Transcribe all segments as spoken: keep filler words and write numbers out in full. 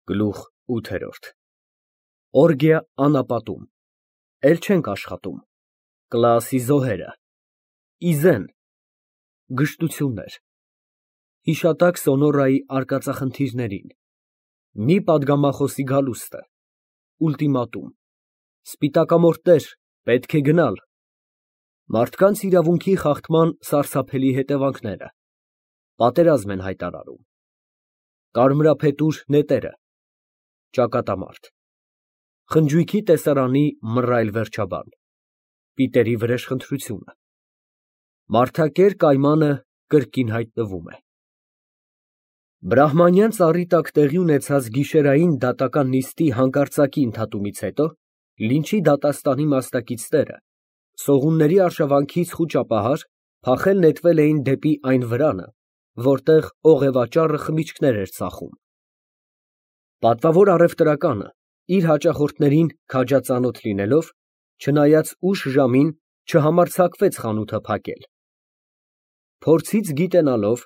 Գլուխ ութ Օրգիա անապատում, էլ չենք աշխատում, Կլաասի զոհերը, Իզեն, գժտություններ, հիշատակ Սոնորայի արկածախնդիրներին, մի պատգամախոսի գալուստը, ուլտիմատում, սպիտակամորտեր, պետք է գնալ, մարդկանց իրավունքի խախտման սարսափելի հետևանքները, պատերազմ են հայտարարում, կարմրափետուր նետերը, ճակատամարտ, խնջույքի տեսարանի մռայլ վերջաբան, պիտերի վրեժխնդրությունը, մարդակեր կայմանը կրկին հայտնվում է։ Բրահմանյան ծառի տակ տեղի ունեցած գիշերային դատական նիստի հանկարծակի ընդհատումից հետո Լինչի դատաստանի մասնակիցները սողունների արշավանքից խուճապահար փախել նետվել էին դեպի այն վրանը, որտեղ օղևաճառը խմիչքներ էր ծախում։ Պատվավոր առևտրականը իր հաճախորդներին քաջածանոթ լինելով, չնայած ուշ ժամին չհամարձակվեց խանութը փակել։ Փորձից գիտենալով,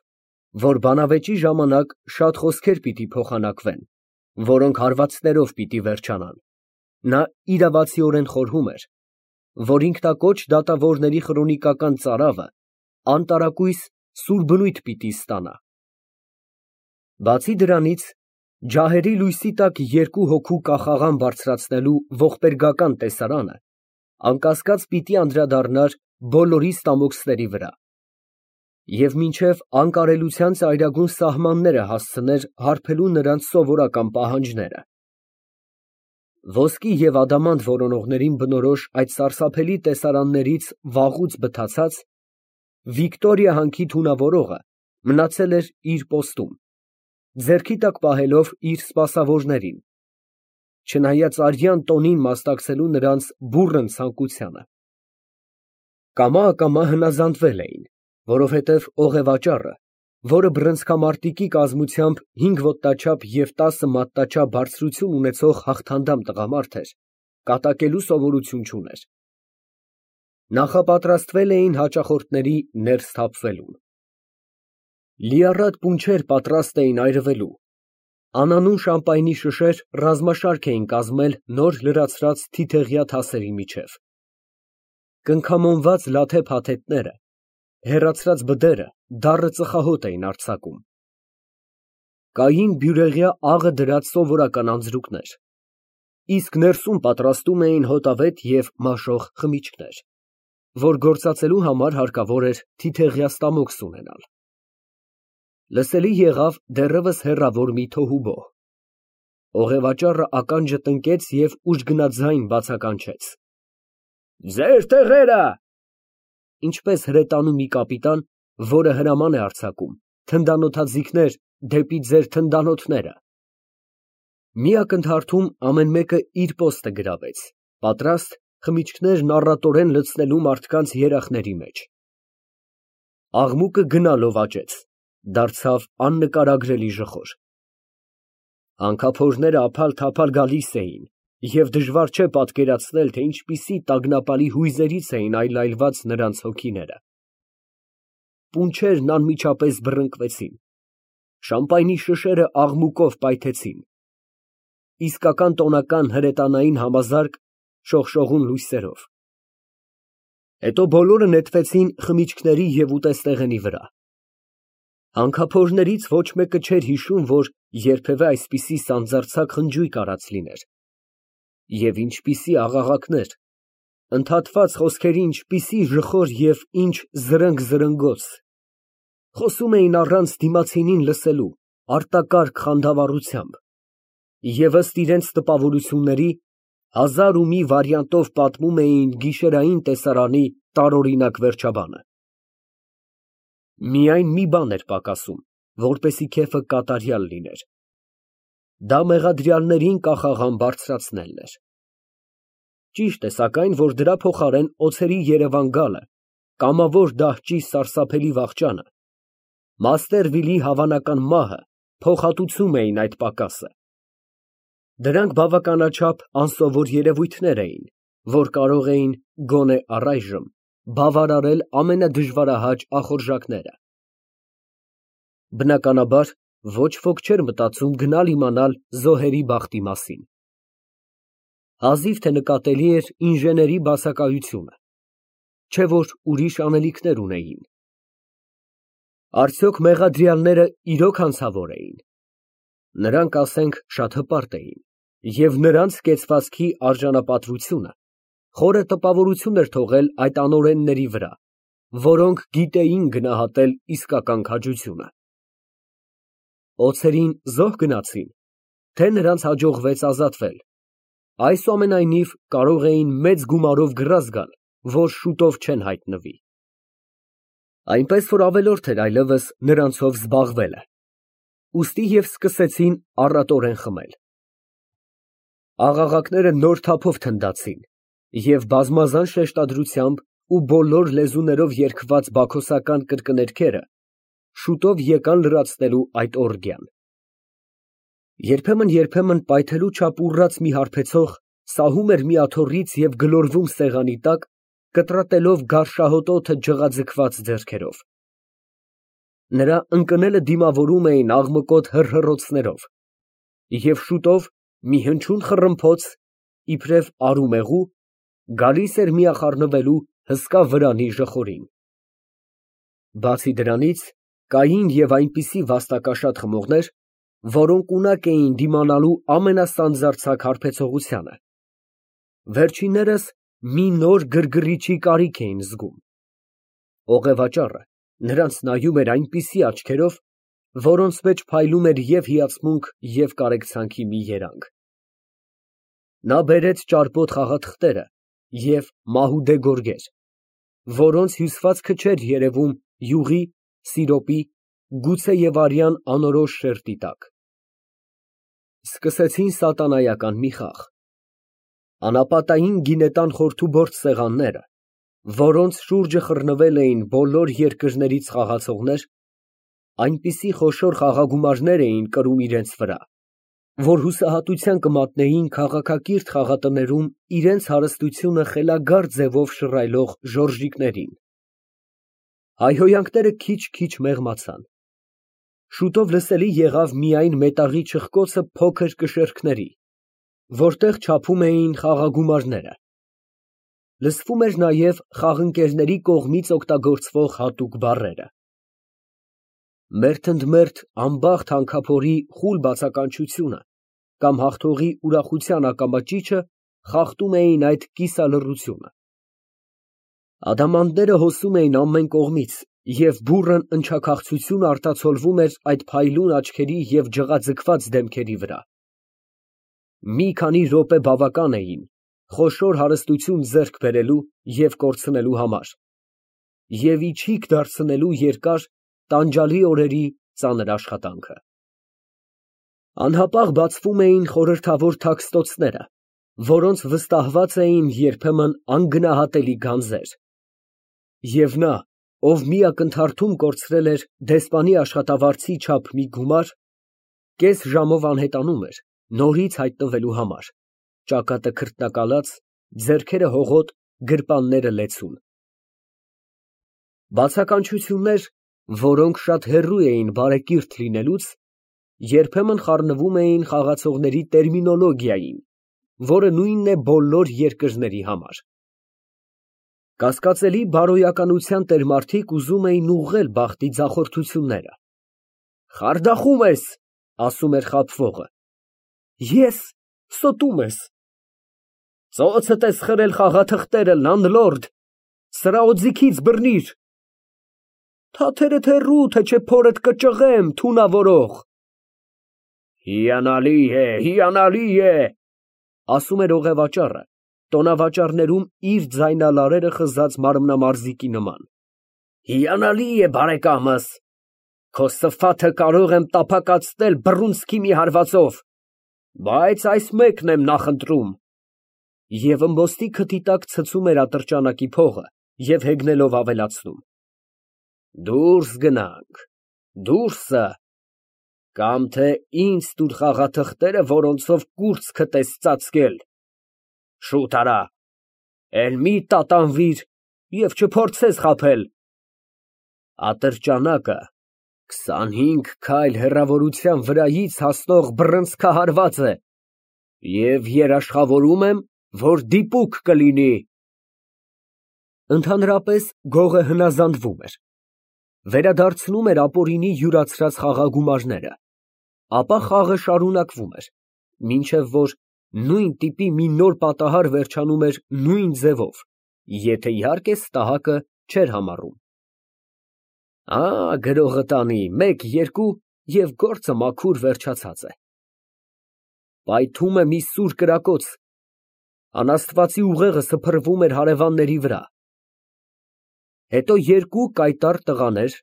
որ բանավեճի ժամանակ շատ խոսքեր պիտի փոխանակվեն, որոնք հարվածներով պիտի վերջանան, նա իրավացիորեն խորհում էր, որ ինքնակոչ դատավորների խրոնիկական ծարավը անտարակույս սուր բնույթ պիտի ստանա։ Բացի դրանից, ջահերի լույսի տակ երկու հոգու կախաղան բարձրացնելու ողբերգական տեսարանը անկասկած պիտի անդրադառնար բոլորի ստամոքսների վրա և մինչև անկարելության ծայրագուն սահմանները հասցներ հարբելու նրանց սովորական պահանջները։ Ոսկի և ադամանդ որոնողներին բնորոշ այդ սարսափելի տեսարաններից վաղուց բթացած, Վիկտորիա հանքի թունավորողը մնացել էր իր պոստում, ձեռքի տակ պահելով իր սպասավորներին, չնայած արյան տոնին մասնակցելու նրանց բուռն ցանկությանը։ Կամա֊ակամա հնազանդվել էին, որովհետև օղևաճառը, որը բռնցքամարտիկի կազմությամբ հինգ ոտնաչափ և տասը մատնաչափ բարձրություն ունեցող հաղթանդամ տղամարդ էր, կատակելու սովորություն չուներ։ Նախապատրաստվել էին հաճախորդների ներս թափվելուն։ Լիառատ պունչեր պատրաստ էին այրվելու, անանուն շամպայնի շշեր ռազմաշարք էին կազմել նոր լրացրած թիթեղյա թասերի միջև։ Կնքամոնված լաթե փաթեթները, հեռացրած բդերը դառը ծխահոտ էին արձակում։ Կային բյուրեղյա աղը դրած սովորական անձրուկներ, իսկ ներսում պատրաստում էին հոտավետ և մաշող խմիչքներ, որ գործածելու համար հարկավոր էր թիթեղյա ստամոքս ունենալ։ Լսելի եղավ դեռևս հեռավոր մի թոհուբոհ։ Օղևաճառը ականջը տնկեց և ուժգնաձայն բացականչեց. Ձեր տեղերը։ Ինչպես հրետանու մի կապիտան, որը հրաման է արձակում, թնդանոթաձիգներ դեպի ձեր թնդանոթները։ Մի ակնթարթում ամեն մեկը իր պոստը գրավեց, պատրաստ խմիչքներն առատորեն լցնելու մարդկանց երախների մեջ։ Աղմուկը գնալով աճեց, դարձավ աննկարագրելի ժխոր։ Հանքափորները ափալ֊թափալ գալիս էին, և դժվար չէ պատկերացնել, թե ինչպիսի տագնապալի հույզերից էին այլայլված նրանց հոգիները։ Պունչերն անմիջապես բռնկվեցին, շամպայնի շշերը աղմուկով պայթեցին, իսկական տոնական հրետանային համազարկ շողշողուն լույսերով։ Հետո բոլորը նետվեցին խմիչքների և ուտեստեղենի վրա։ Հանքափորներից ոչ մեկը չէր հիշում, որ երբևէ այսպիսի սանձարձակ խնջույք արած լիներ։ Եվ ինչպիսի աղաղակներ, ընդհատված խոսքերի ինչպիսի ժխոր և ինչ զրնգ֊զրնգոց, խոսում էին առանց դիմացինին լսելու, արտակարգ խանդավառությամբ, և ըստ իրենց տպավորությունների, հազար ու մի վարիանտով պատմում էին գիշերային տեսարանի տարօրինակ վերջաբանը։ Միայն մի բան էր պակասում, որպեսզի քեֆը կատարյալ լիներ. դա մեղադրյալներին կախաղան բարձրացնելն էր։ Ճիշտ է, սակայն, որ դրա փոխարեն օձերի երևան գալը, կամավոր դահճի սարսափելի վախճանը, Մաստերվիլի հավանական մահը փոխհատուցում էին այդ պակասը։ Դրանք բավականաչափ անսովոր երևույթներ էին, որ կարող էին, գոնե առայժմ, բավարարել ամենադժվարահաճ ախորժակները։ Բնականաբար, Ոչ ոք չէր մտածում գնալ իմանալ զոհերի բախտի մասին։ Հազիվ թե նկատելի էր ինժեների բացակայությունը, չէ որ ուրիշ անելիքներ ունեին։ Արդյոք մեղադրյալները իրոք հանցավոր էին։ Նրանք, ասենք, շատ հպարտ էին, և նրանց կեցվածքի արժանապատվությունը խորը տպավորություն էր թողել այդ անօրենների վրա, որոնք գիտեին գնահատել իսկական քաջությունը։ Օձերին զոհ գնացի՞ն, թե նրանց հաջողվեց ազատվել, այսուամենայնիվ կարող էին մեծ գումարով գրազ գալ, որ շուտով չեն հայտնվի։ Այնպես որ ավելորդ էր այլևս նրանցով զբաղվելը, ուստի և սկսեցին առատորեն խմել։ Աղաղակները նոր թափով թնդացին, և բազմազան շեշտադրությամբ ու բոլոր լեզուներով երգված բաքոսական կրկներգերը շուտով եկան լրացնելու այդ օրգիան։ Երբեմն֊երբեմն պայթելու չափ ուռած մի հարբեցող սահում էր մի աթոռից և գլորվում սեղանի տակ, կտրատելով գարշահոտոթը ջղաձգված ձեռքերով։ Նրա ընկնելը դիմավորում էին աղմկոտ հռհռոցներով, և շուտով մի հնչյուն խռմփոց, իբրև արումեղու, գալիս էր միախառնվելու հսկա վրանի ժխորին։ Բացի դրանից, կային և այնպիսի վաստակաշատ խմողներ, որոնք ունակ էին դիմանալու ամենասանձարձակ հարբեցողությանը։ Վերջիններս մի նոր գրգռիչի կարիք էին զգում։ Օղևաճառը նրանց նայում էր այնպիսի աչքերով, որոնց մեջ փայլում էր և հիացմունք, և կարեկցանքի մի երանգ։ Նա բերեց ճարպոտ խաղաթղթերը և մահուդե գորգեր, որոնց հյուսվածքը չէր երևում յուղի, սիրոպի, գուցե և արյան անորոշ շերտի տակ։ Սկսեցին սատանայական մի խաղ։ Անապատային գինետան խորթուբորդ սեղանները, որոնց շուրջը խռնվել էին բոլոր երկրներից խաղացողներ, այնպիսի խոշոր խաղագումարներ էին կրում իրենց վրա, որ հուսահատության կմատնեին քաղաքակիրթ խաղատներում իրենց հարստությունը խելագար ձևով շռայլող ժորժիկներին։ Հայհոյանքները քիչ֊քիչ մեղմացան։ Շուտով լսելի եղավ միայն մետաղի չխկոցը փոքր կշեռքների, որտեղ չափում էին խաղագումարները։ Լսվում էր նաև խաղընկերների կողմից օգտագործվող հատուկ բառերը։ Մերթ ընդ մերթ անբախտ հանքափորի խուլ բացականչությունը կամ հաղթողի ուրախության ակամա ճիչը խախտում էին այդ կիսալռությունը։ Ադամանդները հոսում էին ամեն կողմից, և բուռն ընչաքաղցություն արտացոլվում էր այդ փայլուն աչքերի և ջղաձգված դեմքերի վրա։ Մի քանի րոպե բավական էին խոշոր հարստություն ձեռք բերելու և կորցնելու համար և իչիք դարձնելու երկար, տանջալի օրերի ծանր աշխատանքը։ Անհապաղ բացվում էին խորհրդավոր թաքստոցները, որոնց վստահված էին երբեմն անգնահատելի գանձեր։ Եվ նա, ով մի ակնթարթում կորցրել էր դեսպանի աշխատավարձի չափ մի գումար, կես ժամով անհետանում էր նորից հայտնվելու համար, ճակատը քրտնակալած, ձեռքերը հողոտ, գրպանները լեցուն։ Բացականչություններ, որոնք շատ հեռու էին բարեկիրթ լինելուց, երբեմն խառնվում էին խաղացողների տերմինոլոգիային, որը նույնն է բոլոր երկրների համար։ Կասկածելի բարոյականության տերմարդիկ ուզում էին ուղղել բախտի ձախորդությունները։ «Խարդախում ես», ասում էր խաբվողը։ «Ես, ստում ես»։ «Ծոցդ ես խրել խաղաթղթերը, լանդլորդ, սրա օձիքից բռնիր»։ «Թաթերդ հեռու, թե չէ փորդ կճղեմ, թունավորող»։ «Հիանալի է, հիանալի է», ասում էր օղևաճառը, տոնավաճառներում իր ձայնալարերը խզած մարմնամարզիկի նման։ «Հիանալի է, բարեկամս, քո սփաթը կարող եմ տափակացնել բռունցքի մի հարվածով, բայց այս մեկն եմ նախընտրում։ Եվ ըմբոստի քթի տակ ցցում էր ատրճանակի փողը և հեգնելով ավելացնում. «Դուրս գնանք, դուրսը, կամ թե ինձ տուր խաղաթղթերը, որոնցով կուրծքդ ես ծածկել, շուտ արա, էլ մի տատանվիր և չփորձես խաբել»։ Ատրճանակը Քսանհինգ քայլ հեռավորության վրայից հասնող բռնցքահարված է և երաշխավորում եմ, որ դիպուկ կլինի։ Ընդհանրապես գողը հնազանդվում էր, վերադարձնում էր ապօրինի յուրացրած խաղագումարները, ապա խաղը շարունակվում էր, մինչև որ նույն տիպի մի նոր պատահար վերջանում էր նույն ձևով, եթե, իհարկե, ստահակը չէր համառում։ Ա, գրողը տանի, մեկ, երկու և գործը մաքուր վերջացած է։ Պայթում է մի սուր կրակոց, անաստվածի ուղեղը սփռվում էր հարևանների վրա։ Հետո երկու կայտառ տղաներ,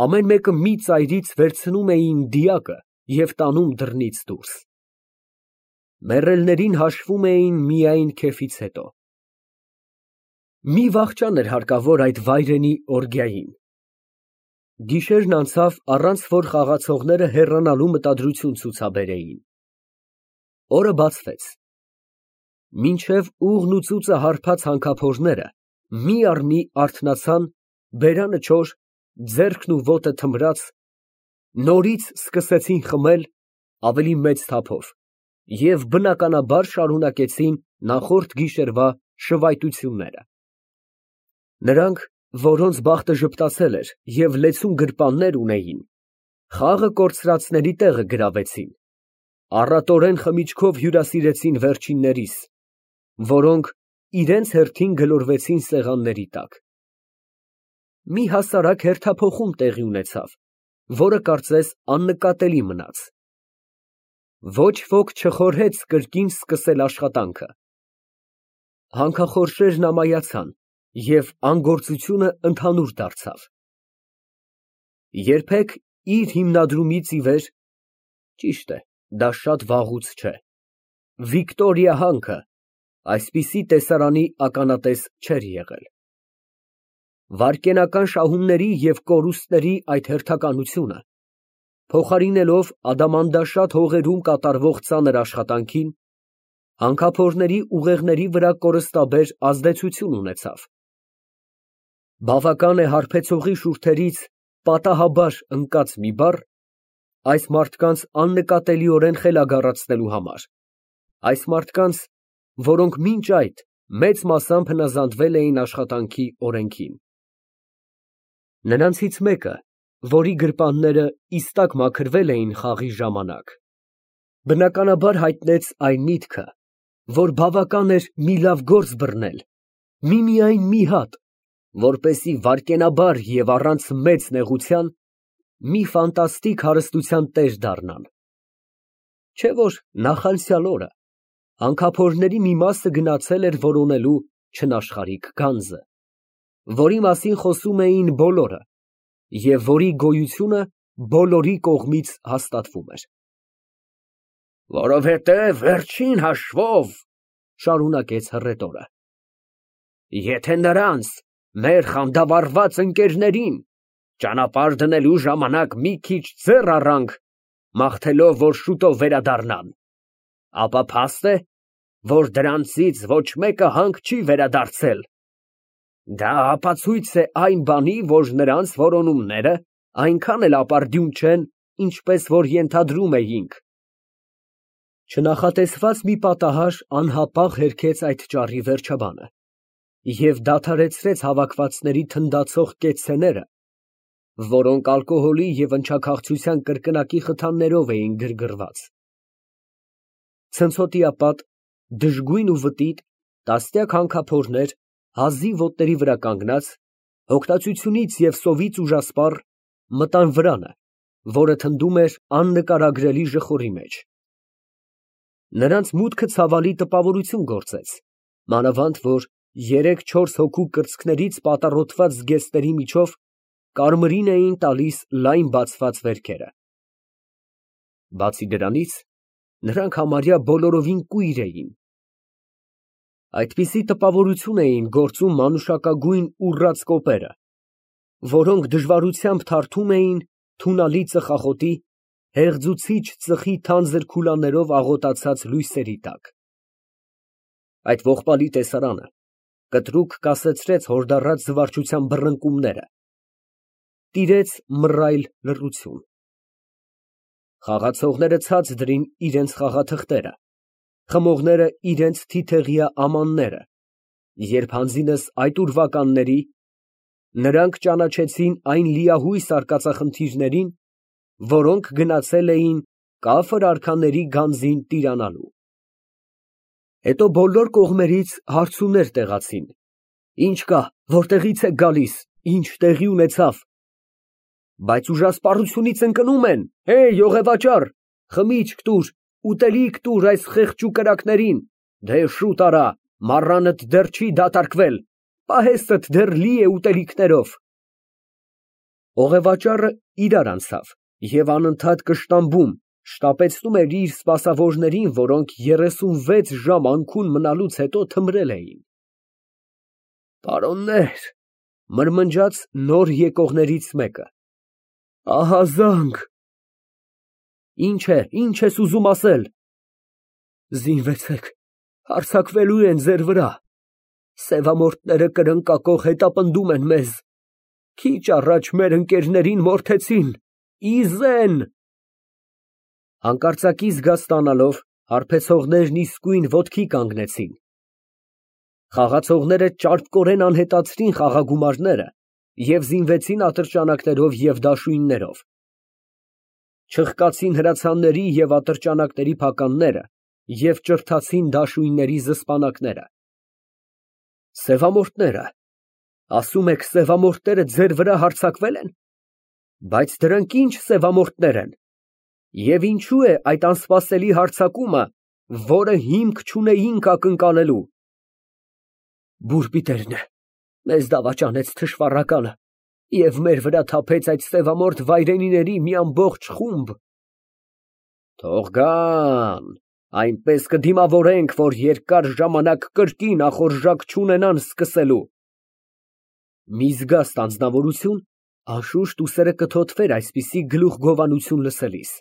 ամեն մեկը մի ծայրից վերցնում էին դիակը և տանում դռնից դուրս։ Մեռելներին հաշվում էին միայն քեֆից հետո։ Մի վախճան էր հարկավոր այդ վայրենի օրգիային։ Գիշերն անցավ, առանց որ խաղացողները հեռանալու մտադրություն ցուցաբերեին։ Օրը բացվեց։ Մինչև ուղն ու ծուծը հարբած հանքափորները մի առ մի արթնացան, բերանը չոր, ձեռքն ու ոտը թմրած, նորից սկսեցին խմել ավելի մեծ թափով և բնականաբար շարունակեցին նախորդ գիշերվա շվայտությունները։ Նրանք, որոնց բախտը ժպտացել էր և լեցուն գրպաններ ունեին, խաղը կորցրածների տեղը գրավեցին, առատորեն խմիչքով հյուրասիրեցին վերջիններիս, որոնք իրենց հերթին գլորվեցին սեղանների տակ։ Մի հասարակ հերթափոխում տեղի ունեցավ, որը կարծես աննկատելի մնաց։ Ոչ ոք չխորհեց կրկին սկսել աշխատանքը։ Հանքախորշերն ամայացան, և անգործությունը ընդհանուր դարձավ։ Երբեք իր հիմնադրումից ի վեր (ճիշտ է, դա շատ վաղուց չէ) Վիկտորիա հանքը այսպիսի տեսարանի ականատես չէր եղել։ Վայրկենական շահումների և կորուստների այդ հերթականությունը, փոխարինելով ադամանդաշատ հողերում կատարվող ծանր աշխատանքին, հանքափորների ուղեղների վրա կորստաբեր ազդեցություն ունեցավ։ Բավական է հարբեցողի շուրթերից պատահաբար ընկած մի բառ այս մարդկանց աննկատելիորեն խելագարացնելու համար, այս մարդկանց, որոնք մինչ այդ մեծ մասամբ հնազանդվել էին աշխատանքի օրենքին։ Նրանցից մեկը, որի գրպանները իստակ մաքրվել էին խաղի ժամանակ, բնականաբար հայտնեց այն միտքը, որ բավական էր մի լավ գործ բռնել, միմիայն մի հատ, որպեսզի վայրկենաբար և առանց մեծ նեղության մի ֆանտաստիկ հարստության տեր դառնան։ Չէ՞ որ նախանցյալ օրը հանքափորների մի մասը գնացել էր որոնելու չնաշխարհիկ գանձը, որի մասին խոսում էին բոլորը և որի գոյությունը բոլորի կողմից հաստատվում էր։ Որովհետև վերջին հաշվով, շարունակեց հռետորը, եթե նրանց, մեր խանդավառված ընկերներին, ճանապարհ դնելու ժամանակ մի քիչ ձեռ առանք, մաղթելով, որ շուտով վերադառնան, ապա փաստ է, որ դրանցից ոչ մեկը հանք չի վերադարձել։ Դա ապացույց է այն բանի, որ նրանց որոնումները այնքան էլ ապարդյուն չեն, ինչպես որ ենթադրում էինք։ Չնախատեսված մի պատահար անհապաղ հերքեց այդ ճառի վերջաբանը և դադարեցրեց հավաքվածների թնդացող կեցցեները, որոնք ալկոհոլի և ընչաքաղցության կրկնակի խթաններով էին գրգռված։ Ցնցոտիապատ, դժգույն ու վտիտ տասնյակ հանքափորներ, հազիվ ոտների վրա կանգնած, հոգնածությունից և սովից ուժասպառ, մտան վրանը, որը թնդում էր աննկարագրելի ժխորի մեջ։ Նրանց մուտքը ցավալի տպավորություն գործեց, մանավանդ որ երեք֊չորս հոգու կրծքներից պատառոտված զգեստների միջով կարմիրին էին տալիս լայն բացված վերքերը։ Բացի դրանից, նրանք համարյա բոլորովին կույր էին։ Այդպիսի տպավորություն էին գործում մանուշակագույն ուռած կոպերը, որոնք դժվարությամբ թարթում էին թունալի ծխախոտի, հեղձուցիչ ծխի թանձր քուլաներով աղոտացած լույսերի տակ։ Այդ ողբալի տեսարանը կտրուկ կասեցրեց հորդառած զվարճության բռնկումները, տիրեց մռայլ լռություն։ Խաղացողները ցած դրին իրենց խաղաթղթերը, խմողները իրենց թիթեղյա ամանները, երբ հանձինս այդ ուրվականների, նրանք ճանաչեցին այն լիահույս արկածախնդիրներին, որոնք գնացել էին կաֆր արքաների գանձին տիրանալու։ Հետո բոլոր կողմերից հարցումներ տեղացին. «Ի՞նչ կա, որտեղի՞ց եք գալիս, ի՞նչ տեղի ունեցավ»։ Բայց ուժասպառությունից ընկնում են. «Հե, յողեվաճառ, խմիչք տուր, ուտելիք տուր այս խեղճ կրակներին, դե շուտ արա, մառանդ դեռ չի դատարկվել, պահեստդ դեռ լի է ուտելիքներով»։ Օղևաճառը իրար անցավ և անընդհատ կշտամբում, շտապեցնում էր իր սպասավորներին, որոնք երեսունվեց ժամ անքուն մնալուց հետո թմրել էին։ «Պարոննե՛ր», մրմնջաց նոր եկողներից մեկը, «ահա զանգ»։ «Ինչ է, ինչ ես ուզում ասել»։ «Զինվեցեք, հարձակվելու են ձեր վրա, սևամորթները կրնկակող հետապնդում են մեզ, քիչ առաջ մեր ընկերներին մորթեցին, ի զեն»։ Հանկարծակի զգա ստանալով, հարբեցողներն իսկույն ոտքի կանգնեցին։ Խաղացողները ճարպկորեն անհետացրին խաղագումարները և զինվեցին ատրճանակներով և դաշույններով։ Չխկացին հրացանների և ատրճանակների փականները և ճրթացին դաշույնների զսպանակները։ Սևամորթները, ասում եք, սևամորթները ձեր վրա հարձակվե՞լ են։ Բայց դրանք ի՞նչ սևամորթներ են։ Եվ ինչո՞ւ է այդ անսպասելի հարձակումը, որը հիմք չունեինք ակնկալելու։ Բուրպիտերն է, մեզ դավաճանեց թշվառականը և մեր վրա թափեց այդ սևամորթ վայրենիների մի ամբողջ խումբ։ Թող գան, այնպես կդիմավորենք, որ երկար ժամանակ կրկին ախորժակ չունենան սկսելու։ Մի զգաստ անձնավորություն անշուշտ ուսերը կթոթվեր այսպիսի գլուխգովանություն լսելիս։